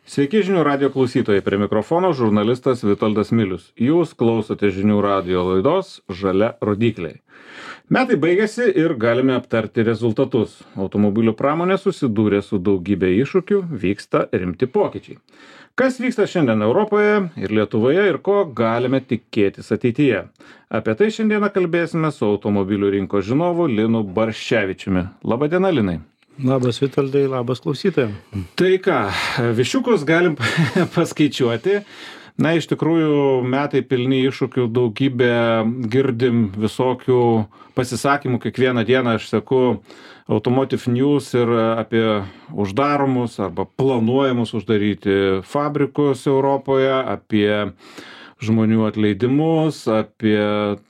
Sveiki žinių radio klausytojai, prie mikrofono žurnalistas Vitoldas Milius. Jūs klausote žinių radio laidos Žalia rodikliai. Metai baigėsi ir galime aptarti rezultatus. Automobilių pramonė susidūrė su daugybė iššūkių, vyksta rimti pokyčiai. Kas vyksta šiandien Europoje ir Lietuvoje ir ko galime tikėtis ateityje? Apie tai šiandieną kalbėsime su automobilių rinkos žinovu Linu Barščevičiumi. Labadiena, Linai. Labas Vitoldai, labas klausytojams. Tai ką, višiukus galim paskaičiuoti. Na, iš tikrųjų, metai pilni iššūkių, daugybė girdim visokių pasisakymų. Kiekvieną dieną aš seku Automotive News ir apie uždaromus arba planuojamus uždaryti fabrikus Europoje, apie žmonių atleidimus, apie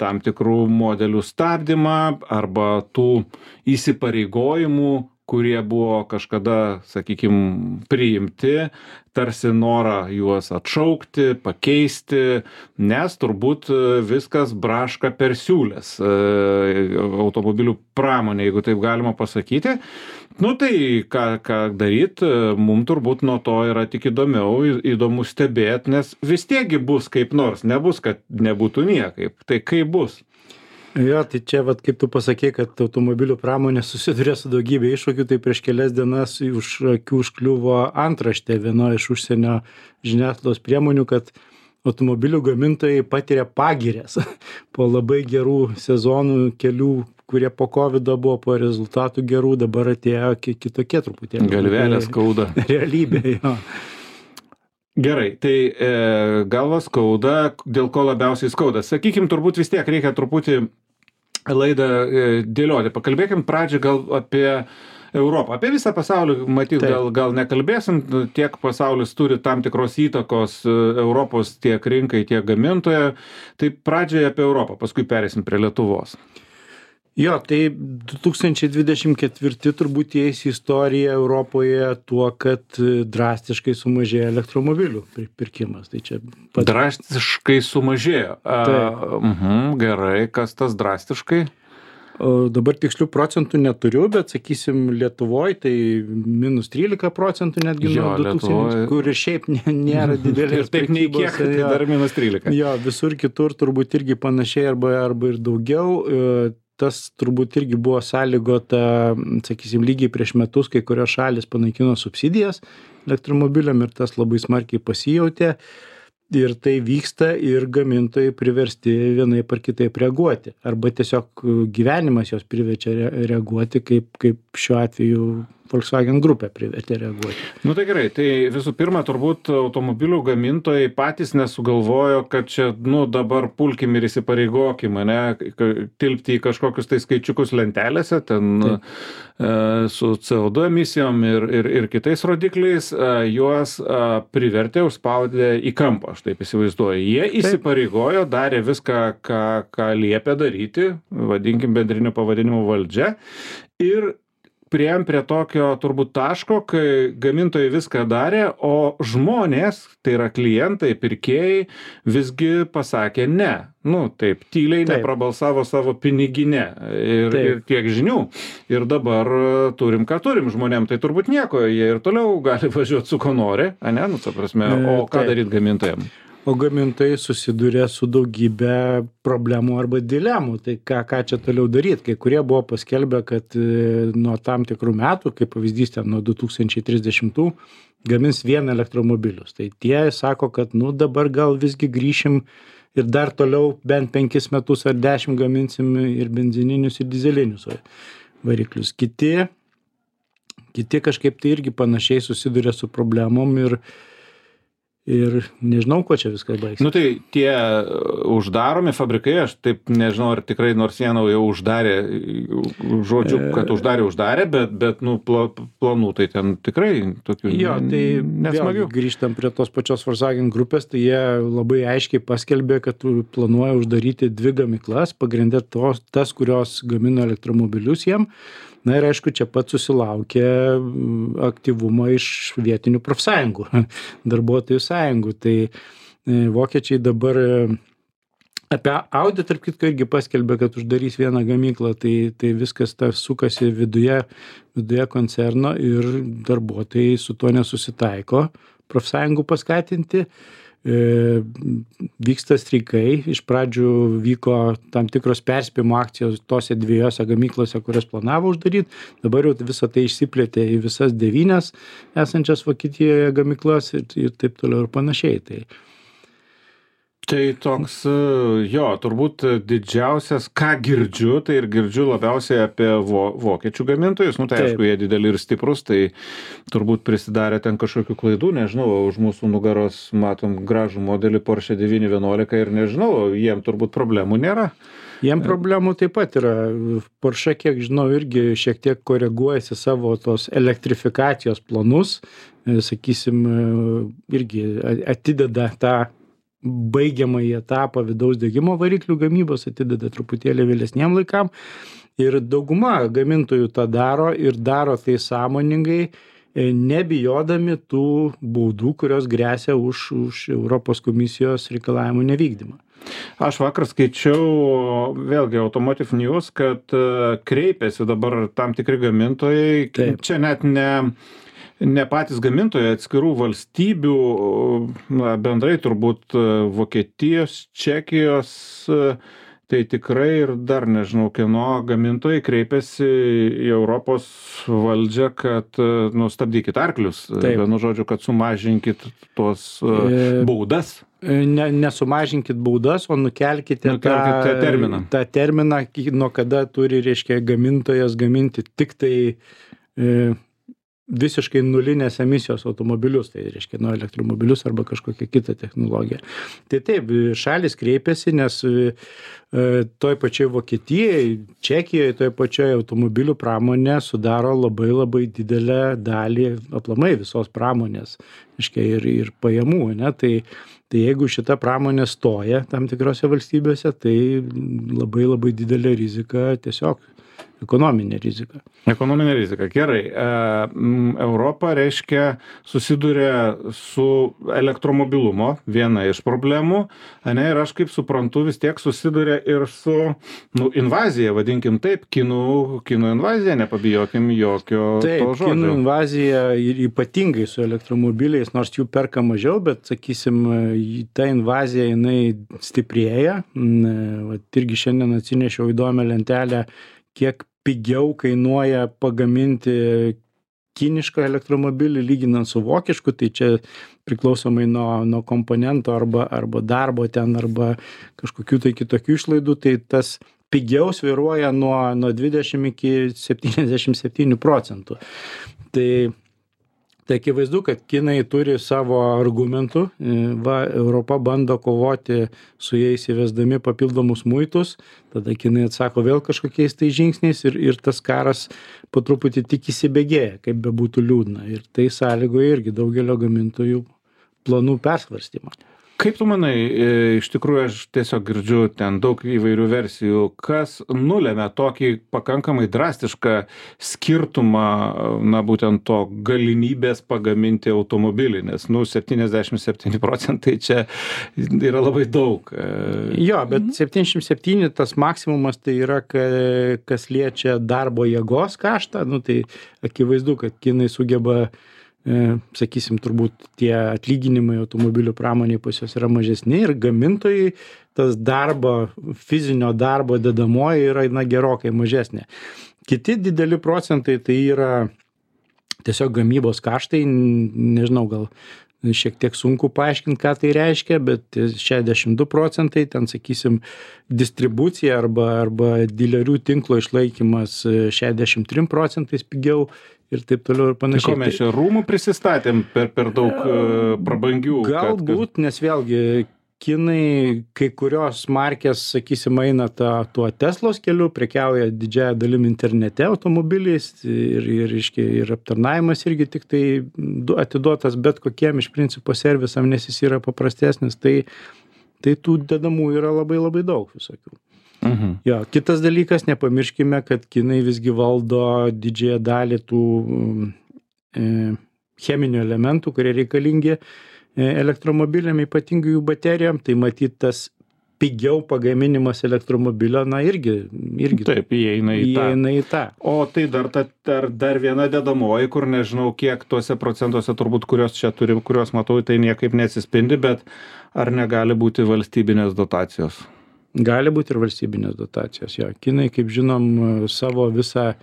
tam tikrų modelių stabdymą arba tų įsipareigojimų, kurie buvo kažkada, sakykime, priimti, tarsi norą juos atšaukti, pakeisti, nes turbūt viskas braška per siūlės automobilių pramonė, jeigu taip galima pasakyti. Nu tai ką daryt, mums turbūt nuo to yra tik įdomu stebėti, nes vis tiekgi bus kaip nors, nebus, kad nebūtų niekaip. Tai kaip bus? Jo, tai čia, kaip tu pasakei, kad automobilių pramonė susiduria su daugybė iššūkių, tai prieš kelias dienas už akių užkliuvo antraštė vienoje iš užsienio žiniasklaidos priemonių, kad automobilių gamintojai patiria pagirias po labai gerų sezonų kelių, kurie po COVID buvo, po rezultatų gerų, dabar atėjo kitokie truputėlį. Galvelė skauda. Realybė, jo. Gerai, tai galva skauda, dėl ko labiausiai skauda. Sakykim, turbūt vis tiek reikia truputį laidą dėlioti. Pakalbėkim pradžią gal apie Europą. Apie visą pasaulį, matyt, gal nekalbėsim, tiek pasaulis turi tam tikros įtakos Europos tiek rinkai, tiek gamintoje. Tai pradžiai apie Europą, paskui perėsim prie Lietuvos. Jo, tai 2024 turbūt įeis į istoriją Europoje tuo, kad drastiškai sumažėjo elektromobilių pirkimas. Tai čia drastiškai sumažėjo. Gerai, kas tas drastiškai? Dabar tikslių procentų neturiu, bet sakysim Lietuvoje tai minus 13% netgi nuo 2000, kur ir šiaip nėra didelės ir taip nei kiek, tai dar minus 13. Jo, visur kitur turbūt irgi panašiai arba ir daugiau. Tas turbūt irgi buvo sąlygota, sakysim, lygiai prieš metus, kai kurios šalis panaikino subsidijas elektromobiliam ir tas labai smarkiai pasijautė. Ir tai vyksta ir gamintojai priversti vienaip ar kitaip reaguoti. Arba tiesiog gyvenimas jos priverčia reaguoti, kaip šiuo atveju Volkswagen grupė privertė reaguoti. Nu tai gerai, tai visų pirma, turbūt automobilių gamintojai patys nesugalvojo, kad čia, dabar pulkim ir įsipareigokim, tilpti į kažkokius tai skaičiukus lentelėse, ten su CO2 emisijom ir kitais rodikliais, juos privertė, užspaudė į kampą, aš taip įsivaizduoju. Jie įsipareigojo, darė viską, ką liepė daryti, vadinkim bendriniu pavadinimu valdžia, ir priėjom prie tokio turbūt taško, kai gamintojai viską darė, o žmonės, tai yra klientai, pirkėjai, visgi pasakė ne. Taip, tyliai neprabalsavo savo piniginę ir tiek žinių. Ir dabar turim, ką turim žmonėm, tai turbūt nieko, jie ir toliau gali važiuoti su ko nori, o ką daryti gamintojam? O gamintojai susiduria su daugybė problemų arba dilemų. Tai ką čia toliau daryti? Kai kurie buvo paskelbę, kad nuo tam tikrų metų, kaip pavyzdys ten nuo 2030, gamins vien elektromobilius. Tai tie sako, kad dabar gal visgi grįšim ir dar toliau bent 5 metus ar 10 gaminsim ir benzininius, ir dizelinius variklius. Kiti kažkaip tai irgi panašiai susiduria su problemom ir nežinau, ko čia viskas baigsis. Tai tie uždaromi fabrikai, aš taip nežinau, ar tikrai nors vieną jau uždarė, žodžiu, kad uždarė, bet planų tai ten tikrai tokių nesmagių. Grįžtam prie tos pačios Volkswagen grupės, tai jie labai aiškiai paskelbė, kad planuoja uždaryti 2 gamyklas, pagrindė tas, kurios gamino elektromobilius jiem. Na ir aišku, čia pat susilaukė aktyvumo iš vietinių profsąjungų, darbuotojų sąjungų. Tai vokiečiai dabar apie Audi, tarp kitko, irgi paskelbė, kad uždarys vieną gamyklą, tai viskas sukasi viduje koncerno ir darbuotojai su tuo nesusitaiko. profsąjungų paskatinti. Vyksta streikai, iš pradžių vyko tam tikros perspėjimo akcijos tose 2 gamyklose, kurias planavo uždaryti, dabar jau visą tai išsiplėtė į visas 9 esančias Vokietijoje gamyklas ir taip toliau ir panašiai. Tai toks, jo, turbūt didžiausias, ką girdžiu, tai ir girdžiu labiausiai apie vokiečių gamintojus, tai aišku, jie dideli ir stiprus, tai turbūt prisidarė ten kažkokių klaidų, nežinau, už mūsų nugaros matom gražų modelį Porsche 911 ir nežinau, jiem turbūt problemų nėra. Jiem problemų taip pat yra. Porsche, kiek žinau, irgi šiek tiek koreguojasi savo tos elektrifikacijos planus, sakysim, irgi atideda tą baigiamąjį etapą vidaus degimo variklių gamybos, atideda truputėlį vėlesniem laikam. Ir dauguma gamintojų tą daro ir daro tai sąmoningai, nebijodami tų baudų, kurios gresia už Europos komisijos reikalavimų nevykdymą. Aš vakar skaičiau, vėlgi Automotive News, kad kreipiasi dabar tam tikri gamintojai, čia net ne patys gamintojai, atskirų valstybių, bendrai turbūt Vokietijos, Čekijos, tai tikrai ir dar nežinau, kieno gamintojai kreipiasi į Europos valdžią, kad stabdykit arklius, vienu žodžiu, kad sumažinkit tuos baudas. Nesumažinkit baudas, o nukelkite tą terminą, nuo kada turi, reiškia, gamintojas gaminti tik tai visiškai nulinės emisijos automobilius, tai reiškia elektromobilius arba kažkokią kitą technologiją. Tai taip, šalis kreipiasi, nes toj pačioj Vokietijai, Čekijoje, toj pačioj automobilių pramonė sudaro labai labai didelę dalį aplamai visos pramonės, reiškia, ir pajamų, ne? Tai jeigu šita pramonė stoja tam tikrose valstybėse, tai labai labai didelė rizika, tiesiog ekonominė rizika. Ekonominė rizika, gerai. Europa, reiškia, susiduria su elektromobilumo, viena iš problemų, ir aš kaip suprantu, vis tiek susiduria ir su invazija, vadinkim taip, kinų invazija, nepabijokim jokio to žodžio. Taip, kinų invazija ir ypatingai su elektromobiliais, nors jų perka mažiau, bet, sakysim, ta invazija, jinai stiprėja. Irgi šiandien atsinešiau įdomią lentelę, kiek pigiau kainuoja pagaminti kinišką elektromobilį lyginant su vokišku, tai čia priklausomai nuo komponento arba darbo ten, arba kažkokių tai kitokių išlaidų, tai tas pigiau svyruoja nuo 20 iki 77%. Tai akivaizdu, kad kinai turi savo argumentų, Europa bando kovoti su jais įvesdami papildomus muitus, tada kinai atsako vėl kažkokiais tai žingsniais ir tas karas po truputį tik įsibėgėja, kaip bebūtų liūdna. Ir tai sąlygoja irgi daugelio gamintojų planų persvarstymą. Kaip tu manai, iš tikrųjų aš tiesiog girdžiu ten daug įvairių versijų, kas nulėmė tokį pakankamai drastišką skirtumą, būtent to galimybės pagaminti automobilį, nes 77% čia yra labai daug. Jo, bet 77 tas maksimumas tai yra, kas liečia darbo jėgos kaštą, tai akivaizdu, kad kinai sugeba, sakysim, turbūt tie atlyginimai automobilių pramoniai pas juos yra mažesni ir gamintojai tas fizinio darbo dedamoji yra gerokai mažesnė. Kiti dideli procentai tai yra tiesiog gamybos kaštai, nežinau, gal šiek tiek sunku paaiškinti, ką tai reiškia, bet 62%, ten, sakysim, distribucija arba dilerių tinklo išlaikymas 63% pigiau ir taip toliau ir panašiai. Tai ko mes čia rūmų prisistatėm per daug prabangių? Galbūt, nes vėlgi kinai, kai kurios markės, sakysim, eina tuo Teslos keliu, prekiauja didžiąją dalim internete automobiliais ir aptarnavimas irgi tik tai atiduotas bet kokiem iš principo servisam, nes jis yra paprastesnis, tai tų dedamų yra labai labai daug visokių. Jo, kitas dalykas, nepamirškime, kad kinai visgi valdo didžiąją dalį tų cheminių elementų, kurie reikalingi elektromobiliam, ypatingai jų baterijam, tai matyt tas pigiau pagaminimas elektromobilio, na irgi Taip, įeina į tą. O tai dar viena dedamoji, kur nežinau, kiek tuose procentuose turbūt, kurios čia turim, kurios matau, tai niekaip neatsispindi, bet ar negali būti valstybinės dotacijos? Gali būti ir valstybinės dotacijos, jo. Kinai, kaip žinom, savo visą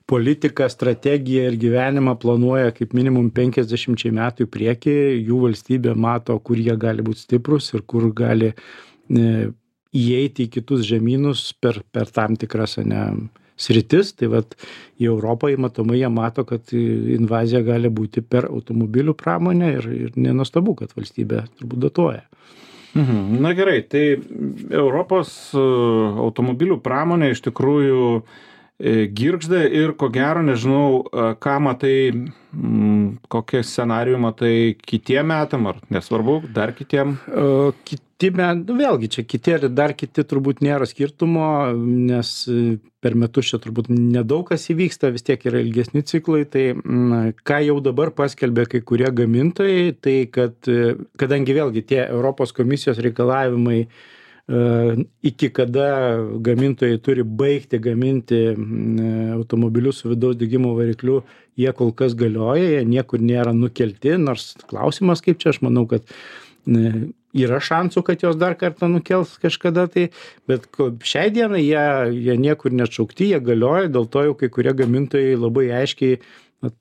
politiką, strategiją ir gyvenimą planuoja kaip minimum 50 metų į priekį. Jų valstybė mato, kur jie gali būti stiprus ir kur gali įeiti į kitus žemynus per tam tikras sritis. Tai vat į Europą matomai jie mato, kad invazija gali būti per automobilių pramonę ir nenuostabu, kad valstybė turbūt dotuoja. Na gerai, tai Europos automobilių pramonė iš tikrųjų girgžda ir ko gero, nežinau, ką matai, kokie scenarijų matai kitiem metam, ar nesvarbu, dar kitiem? Vėlgi čia kiti ir dar kiti turbūt nėra skirtumo, nes per metus čia turbūt nedaug kas įvyksta, vis tiek yra ilgesni ciklai, tai ką jau dabar paskelbė kai kurie gamintojai, tai kad kadangi vėlgi tie Europos komisijos reikalavimai iki kada gamintojai turi baigti gaminti automobilius su vidaus degimo varikliu, jie kol kas galioja, jie niekur nėra nukelti, nors klausimas kaip čia, aš manau, kad yra šansų, kad jos dar kartą nukels kažkada, tai, bet šiai dienai jie niekur neatšaukti, jie galioja, dėl to jau kai kurie gamintojai labai aiškiai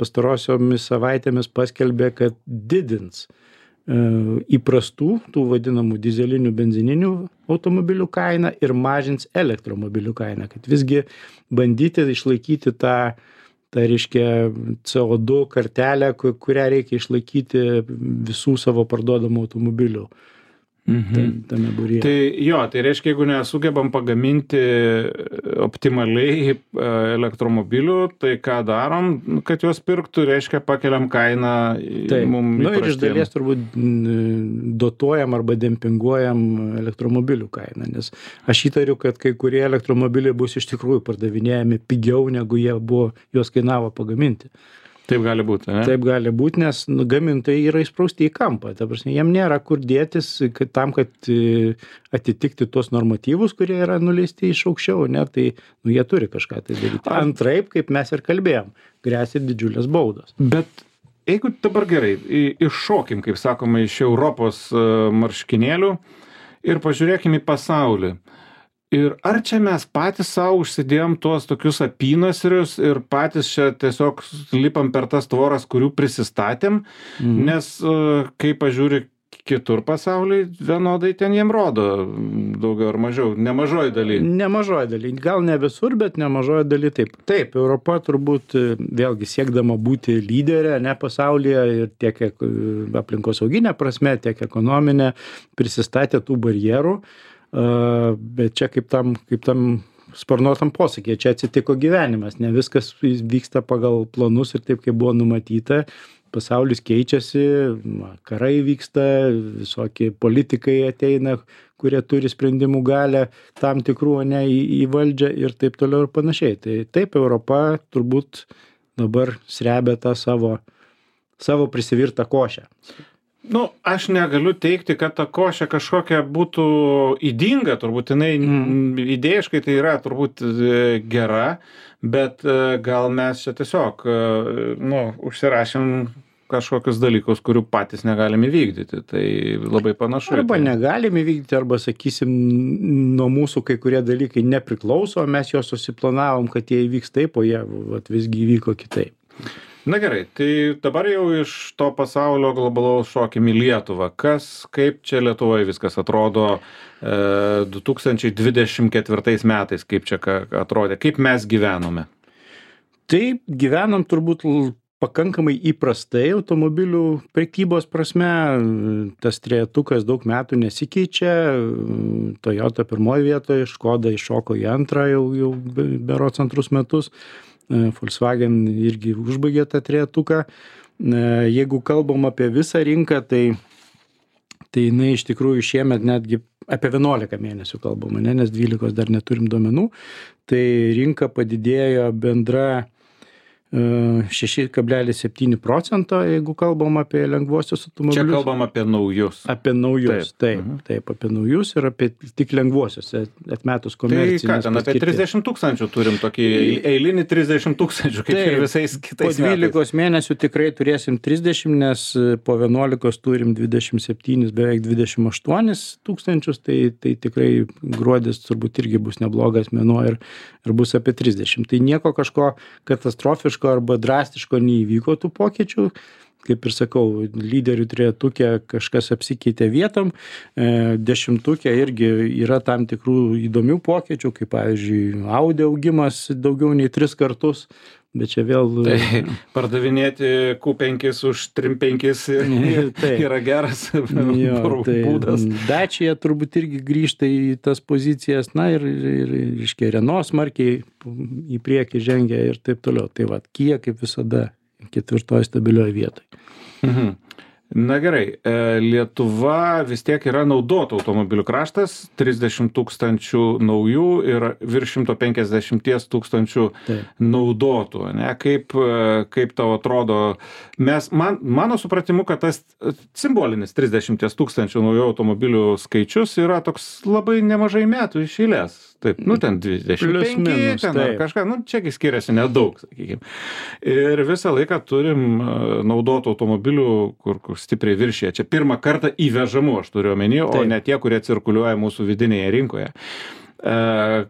pastarosiomis savaitėmis paskelbė, kad didins įprastų, tų vadinamų dizelinių, benzininių automobilių kainą ir mažins elektromobilių kainą, kad visgi bandyti išlaikyti tą reiškia CO2 kartelę, kurią reikia išlaikyti visų savo parduodamų automobilių tame būryje. Tai jo, tai reiškia, jeigu nesugebam pagaminti optimaliai elektromobilių, tai ką darom, kad juos pirktų, reiškia pakeliam kainą mum įprastiem. Ir iš dalies turbūt dotuojam arba dempinguojam elektromobilių kainą, nes aš įtariu, kad kai kurie elektromobiliai bus iš tikrųjų pardavinėjami pigiau, negu juos kainavo pagaminti. Taip gali būti, ne? Taip gali būti, nes gamintojai yra įsprausti į kampą. Ta prasme, jiem nėra kur dėtis tam, kad atitikti tuos normatyvus, kurie yra nuleisti iš aukščiau, ne, tai jie turi kažką tai daryti. Antraip, kaip mes ir kalbėjom, gresia didžiulės baudos. Bet jeigu dabar gerai, iššokim, kaip sakoma, iš Europos marškinėlių ir pažiūrėkim į pasaulį. Ir ar čia mes patys savo užsidėjom tuos tokius apynasrius ir patys čia tiesiog lipam per tas tvoras, kurių prisistatėm, nes kai pažiūri kitur pasaulyje, vienodai ten jiem rodo daugiau ar mažiau, nemažoji daly. Nemažoji daly, gal ne visur, bet nemažoji daly taip. Taip, Europa turbūt vėlgi siekdama būti lyderė, ne pasaulyje ir tiek aplinkosauginė prasme, tiek ekonominė, prisistatė tų barjerų. Bet čia kaip tam sparnuotam posakė, čia atsitiko gyvenimas, ne viskas vyksta pagal planus ir taip, kaip buvo numatyta, pasaulis keičiasi, karai vyksta, visokie politikai ateina, kurie turi sprendimų galią tam tikrų į valdžią ir taip toliau ir panašiai. Tai taip, Europa turbūt dabar srebia tą savo prisivirtą košę. Aš negaliu teikti, kad ta košė kažkokia būtų ydinga, turbūt jinai idėjiškai tai yra turbūt gera, bet gal mes čia tiesiog užsirašėm kažkokius dalykus, kurių patys negalim įvykdyti, tai labai panašu. Arba negalim įvykdyti, arba sakysim, nuo mūsų kai kurie dalykai nepriklauso, mes juos susiplanavom, kad jie įvyks taip, o jie visgi įvyko kitaip. Na gerai, tai dabar jau iš to pasaulio globalaus šokim į Lietuvą. Kaip čia Lietuvoje viskas atrodo 2024 metais, kaip čia atrodė, kaip mes gyvenome? Taip, gyvenom turbūt pakankamai įprastai automobilių prekybos prasme. Tas trejetukas daug metų nesikeičia. Toyota pirmoje vietoje, Škoda iššoko į antrą jau berods antrus metus. Volkswagen irgi užbaigė tą trejetuką. Jeigu kalbam apie visą rinką, tai jinai iš tikrųjų šiemet netgi apie 11 mėnesių kalbama, nes 12 dar neturim duomenų. Tai rinka padidėjo bendra 6,7%, jeigu kalbam apie lengvuosius automobilius. Čia kalbam apie naujus. Apie naujus, taip, apie naujus ir apie tik lengvuosius, atmetus komercinius. Tai ką, ten apie 30 tūkstančių turim tokį eilinį 30 tūkstančių, kaip ir visais kitais metais. Po 12 mėnesių tikrai turėsim 30, nes po 11 turim 27, beveik 28 tūkstančius, tai tikrai gruodis turbūt irgi bus neblogas mėnuo ir bus apie 30. Tai nieko kažko katastrofiško arba drastiško neįvyko tų pokyčių. Kaip ir sakau, lyderių trejetuke kažkas apsikeitė vietom, 10 irgi yra tam tikrų įdomių pokyčių, kaip pavyzdžiui, Audi augimas daugiau nei 3 kartus, bet čia vėl... Tai pardavinėti Q5 už 3.5 yra geras būdas. Dacia turbūt irgi grįžta į tas pozicijas, na ir Renault smarkiai į priekį žengia ir taip toliau. Tai va, Kia kaip visada 4 stabilioj vietoj. Na gerai, Lietuva vis tiek yra naudotų automobilių kraštas, 30 tūkstančių naujų ir virš 150 tūkstančių naudotų. Ne? Kaip tau atrodo, mano supratimu, kad tas simbolinis 30 tūkstančių naujų automobilių skaičius yra toks labai nemažai metų iš eilės. Taip, ten 25, ten ar kažką, čiagi skiriasi nedaug, sakykime. Ir visą laiką turim naudotų automobilių, kur stipriai viršyje. Čia pirmą kartą įvežamų, aš turiu omeny, o ne tie, kurie cirkuliuoja mūsų vidinėje rinkoje.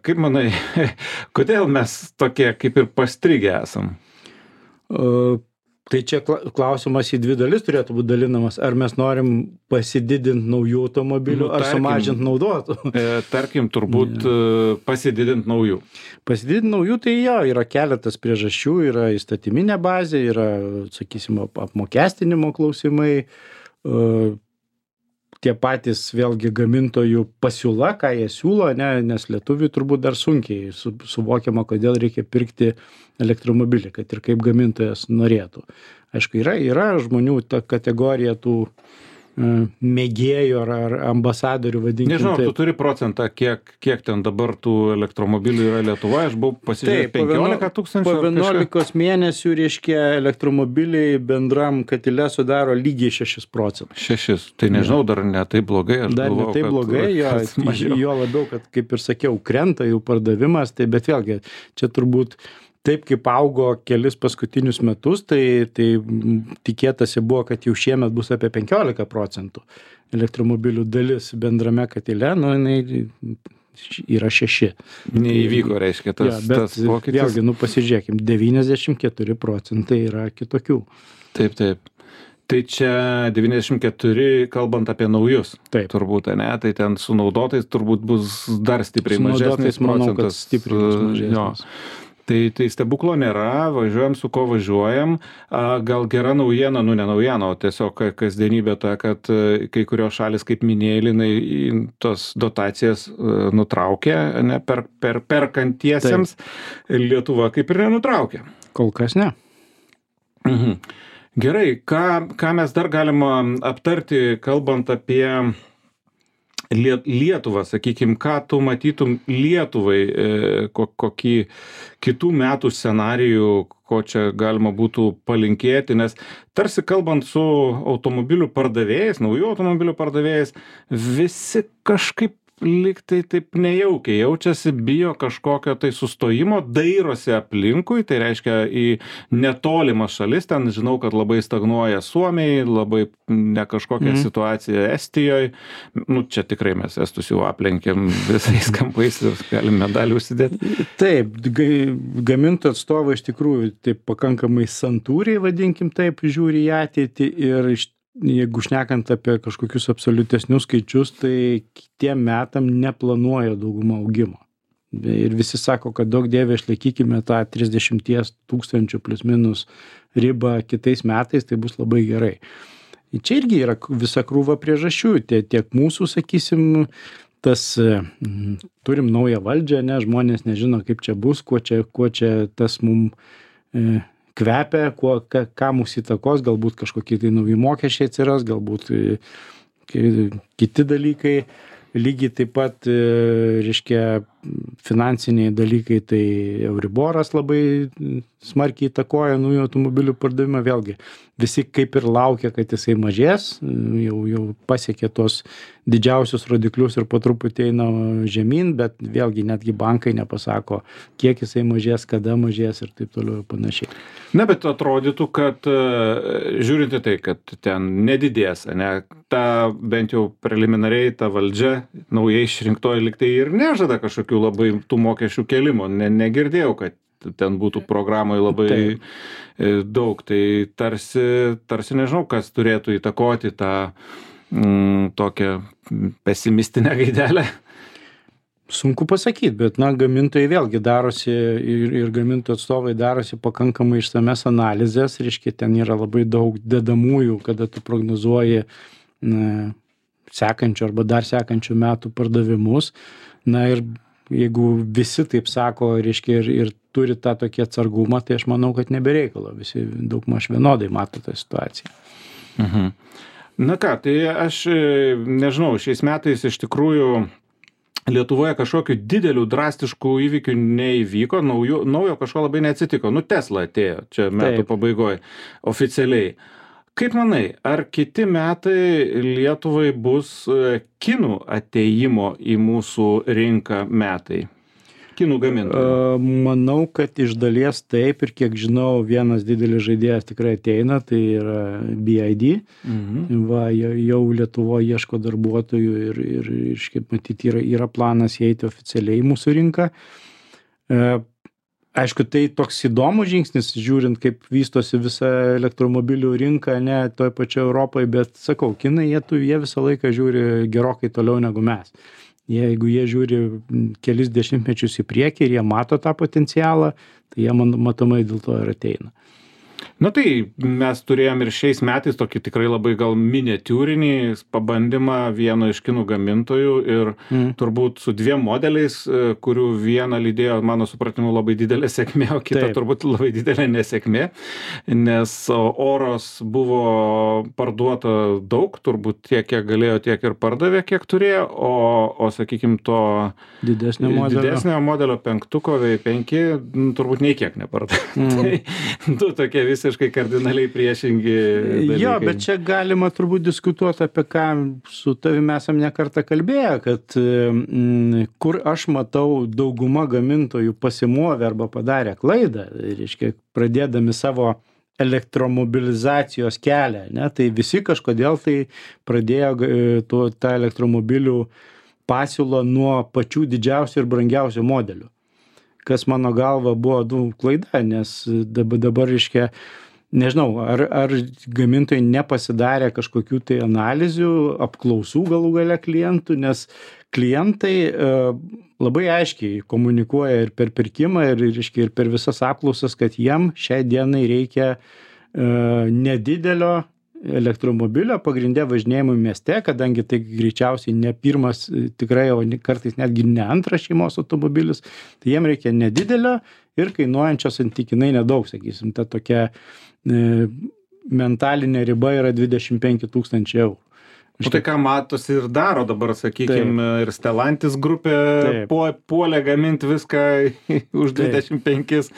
Kaip manai, kodėl mes tokie kaip ir pastrigę esam? Tai čia klausimas į 2 dalis turėtų būti dalinamas. Ar mes norim pasididinti naujų automobilių, ar sumažinti naudotų? Tarkim, turbūt pasididinti naujų. Pasididinti naujų, tai yra keletas priežasčių, yra įstatyminė bazė, yra, sakysim, apmokestinimo klausimai, tie patys vėlgi gamintojų pasiūla, ką jie siūlo, nes lietuviui turbūt dar sunkiai suvokiama, kodėl reikia pirkti elektromobilį, kad ir kaip gamintojas norėtų. Aišku, yra žmonių ta kategorija tų mėgėjų ar ambasadorių, vadinkim. Nežinau, tu turi procentą, kiek ten dabar tų elektromobilių yra Lietuvoje, aš buvau pasižiūrėjęs 15 tūkstančių. Po 11 mėnesių, reiškia, elektromobiliai bendram katile sudaro lygiai 6%. 6, tai nežinau, dar ne taip blogai. Dar ne taip blogai, jo labiau, kad kaip ir sakiau, krenta jų pardavimas, tai bet vėlgi, čia turbūt taip kaip augo kelis paskutinius metus, tai tikėtasi buvo, kad jau šiemet bus apie 15% elektromobilių dalis bendrame katile, jinai yra 6. Neįvyko, reiškia, tas pokytis. Vėlgi, pasižiūrėkim, 94% yra kitokių. Taip. Tai čia 94, kalbant apie naujus. Taip. Turbūt, ne? Tai ten su naudotais turbūt bus dar stipriai mažesnis procentas. Manau, kad stipriai mažesnis. Tai stebuklo nėra, važiuojam su ko važiuojam. Gal gera naujiena, ne naujiena, o tiesiog kasdienybė ta, kad kai kurios šalis, kaip minėjai, Linai, tos dotacijas nutraukė, ne, perkantiesiems. Lietuva kaip ir nenutraukė. Kol kas ne. Gerai, ką mes dar galima aptarti, kalbant apie Lietuvą, sakykime, ką tu matytum Lietuvai, kokį kitų metų scenarijų, ko čia galima būtų palinkėti, nes tarsi kalbant su automobilių pardavėjais, naujų automobilių pardavėjais, visi kažkaip lyg tai taip nejaukiai jaučiasi, bijo kažkokio tai sustojimo, dairosi aplinkui, tai reiškia į netolimas šalis, ten žinau, kad labai stagnuoja Suomiai, labai ne kažkokia situacija Estijoje, čia tikrai mes Estus jau aplenkėm visais kampais ir galim medalį užsidėti. Taip, gamintojų atstovai iš tikrųjų taip pakankamai santūriai, vadinkim taip, žiūri į ateitį ir jeigu šnekant apie kažkokius absoliutesnius skaičius, tai kitiem metam neplanuoja dauguma augimo. Ir visi sako, kad daug dievė išlaikykime tą 30 tūkstančių plus minus ribą kitais metais, tai bus labai gerai. Čia irgi yra visa krūva priežasčių, tiek mūsų, sakysim, turim naują valdžią, žmonės nežino, kaip čia bus, kuo čia tas mum kvepia, ką mūsų įtakos, galbūt kažkokie tai nauji mokesčiai atsiras, galbūt kiti dalykai. Lygiai taip pat, reiškia, finansiniai dalykai, tai Euriboras labai smarkiai įtakoja naujų automobilių pardavimą. Vėlgi, visi kaip ir laukia, kad jisai mažės, jau pasiekė tos didžiausius rodiklius ir po truputį eina žemyn, bet vėlgi netgi bankai nepasako, kiek jisai mažės, kada mažės ir taip toliau ir panašiai. Na, bet atrodytų, kad žiūrint į tai, kad ten nedidės, ne, ta bent jau preliminariai ta valdžia naujai išrinktoji liktai ir nežada kažkokių labai tų mokesčių kelimo. Negirdėjau, kad ten būtų programoje labai daug. Tai tarsi nežinau, kas turėtų įtakoti tą tokią pesimistinę gaidelę. Sunku pasakyti, bet gamintojai vėlgi darosi ir gamintojų atstovai darosi pakankamai išsames analizės, reiškia, ten yra labai daug dedamųjų, kada tu prognozuoji sekančių arba dar sekančių metų pardavimus. Na ir jeigu visi taip sako, reiškia, ir turi tą tokį atsargumą, tai aš manau, kad nebereikalo. Visi daugmaž vienodai mato tą situaciją. Mhm. Na ką, tai aš nežinau, šiais metais iš tikrųjų Lietuvoje kažkokių didelių drastiškų įvykių neįvyko, naujo kažko labai neatsitiko. Tesla atėjo čia metų pabaigoje oficialiai. Kaip manai, ar kiti metai Lietuvai bus kinų atėjimo į mūsų rinką metai? Kinų gamintojų? Manau, kad iš dalies taip, ir kiek žinau, vienas didelis žaidėjas tikrai ateina, tai yra BID. Va, jau Lietuvoje ieško darbuotojų ir kaip matyti, yra planas įeiti oficialiai į mūsų rinką. Aišku, tai toks įdomus žingsnis, žiūrint, kaip vystosi visa elektromobilių rinka, ne toj pačioje Europoje, bet sakau, kinai, jie visą laiką žiūri gerokai toliau negu mes. Jeigu jie žiūri kelis dešimtmečius į priekį ir jie mato tą potencialą, tai jie matomai dėl to ir ateina. Na tai mes turėjom ir šiais metais tokį tikrai labai gal miniatiūrinį pabandymą vieno iš kinų gamintojų ir turbūt su dviem modeliais, kurių vieną lydėjo, mano supratimu, labai didelė sėkmė, o kita turbūt labai didelė nesėkmė, nes Oros buvo parduota daug, turbūt tiek, kiek galėjo, tiek ir pardavė, kiek turėjo, o sakykime, to didesnio modelio penktuko V5 turbūt nei kiek nepardavė. Tai du tokie visiškai kardinaliai priešingi dalykai. Jo, bet čia galima turbūt diskutuoti, apie ką su tavimi esam ne kartą kalbėję, kad kur aš matau dauguma gamintojų pasimovė arba padarė klaidą, reiškia, pradėdami savo elektromobilizacijos kelią, ne, tai visi kažkodėl tai pradėjo tą elektromobilių pasiūlą nuo pačių didžiausių ir brangiausių modelių. Kas mano galva buvo klaida, nes dabar, reiškia, nežinau, ar gamintojai nepasidarė kažkokių tai analizių, apklausų galų gale klientų, nes klientai labai aiškiai komunikuoja ir per pirkimą, reiškia, ir per visas apklausas, kad jiem šiai dienai reikia nedidelio elektromobilio pagrinde važinėjimui mieste, kadangi tai greičiausiai ne pirmas, tikrai, o kartais netgi ne antras šeimos automobilis, tai jiem reikia nedidelio ir kainuojančio santykinai nedaug, sakysim, ta tokia mentalinė riba yra 25 000 eurų. O tai ką matosi ir daro dabar, sakykime, ir Stellantis grupė puolė gaminti viską už 25,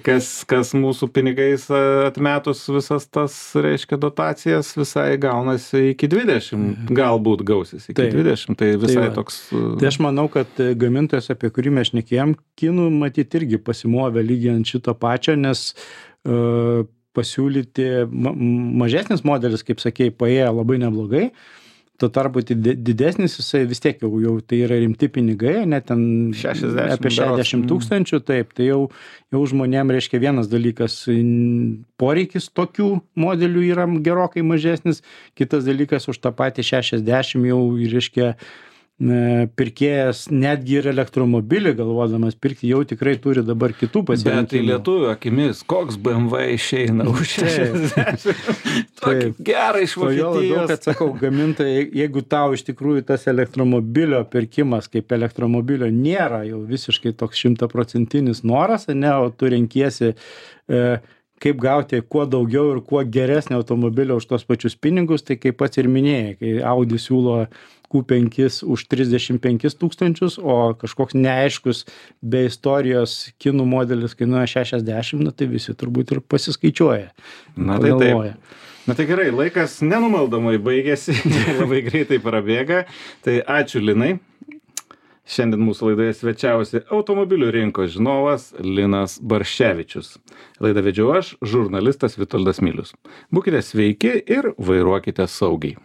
kas mūsų pinigais atmetus visas tas, reiškia, dotacijas visai gaunasi iki 20, galbūt gausis iki 20, tai visai toks... Tai aš manau, kad gamintojas, apie kurį mes šnekėjom, kinų matyti irgi pasimovė lygiant šito pačio, nes pasiūlyti mažesnis modelis, kaip sakėjai, paėjo labai neblogai, tuo tarpu didesnis jisai vis tiek jau tai yra rimti pinigai, net ten apie 60 000, taip, tai jau žmonėm, reiškia, vienas dalykas, poreikis tokių modelių yra gerokai mažesnis, kitas dalykas už tą patį 60 jau, reiškia, pirkėjas netgi ir elektromobilį galvodamas pirkti jau tikrai turi dabar kitų pasirinkimų. Bet tai lietuvių akimis, koks BMW išeina už 60. Tokį gerą iš Vokietijos. Labiau, kad sakau, gamintojai, jeigu tau iš tikrųjų tas elektromobilio pirkimas kaip elektromobilio nėra jau visiškai toks 100% noras, ne, o tu renkiesi kaip gauti kuo daugiau ir kuo geresnį automobilį už tos pačius pinigus, tai kaip pats ir minėjai, kai Audi siūlo Q5 už 35 tūkstančius, o kažkoks neaiškus be istorijos kinų modelis kainuoja 60, na tai visi turbūt ir pasiskaičiuoja. Na tai taip. Na tai gerai, laikas nenumaldomai baigėsi, labai greitai prabėga. Tai ačiū Linai. Šiandien mūsų laidoje svečiavosi automobilių rinkos žinovas Linas Barščevičius. Laidą vedžiau aš, žurnalistas Vitoldas Milius. Būkite sveiki ir vairuokite saugiai.